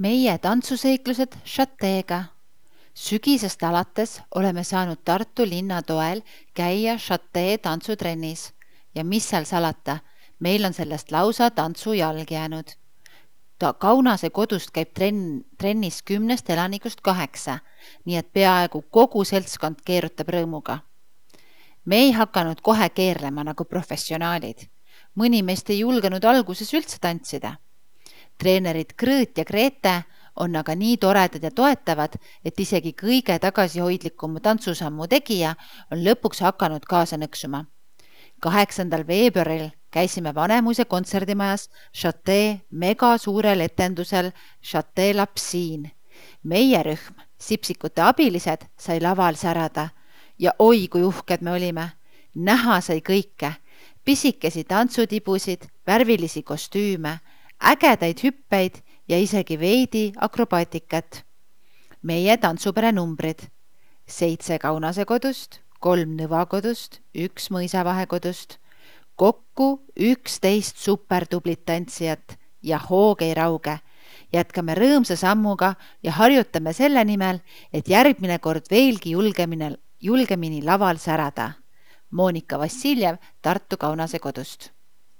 Meie tantsuseiklused Chateega. Sügisest alates oleme saanud Tartu linna toel käia Chatee tantsutrennis ja mis seal salata, meil on sellest lausa tantsujalg jäänud. Kaunase kodust käib trennis 10 elanikust 8, nii et peaaegu kogu seltskond keerutab rõõmuga. Me ei hakanud kohe keerlema nagu professionaalid. Mõni meist ei julgenud alguses üldse tantsida. Treenerid Krõõt ja Grete on aga nii toredad ja toetavad, et isegi kõige tagasihoidlikum tantsusammu tegija on lõpuks hakanud kaasa nõksuma. 8. veebruaril käisime Vanemuise kontserdimajas Chatee mega suurel etendusel Chatee Lapsiin. Meie rühm, sipsikute abilised, sai laval särada ja oi kui uhked me olime. Näha sai kõike, pisikesi tantsutibusid, värvilisi kostüüme, ägedaid hüppeid ja isegi veidi akrobaatikat. Meie tantsupere numbrid: 7 Kaunase kodust, 3 Nõva kodust, 1 Mõisavahe kodust, kokku 11 supertublit tantsijat ja hoog ei rauge. Jätkame rõõmsa sammuga ja harjutame selle nimel, et järgmine kord veelgi julgemini laval särada. Monika Vassiljev Tartu Kaunase kodust.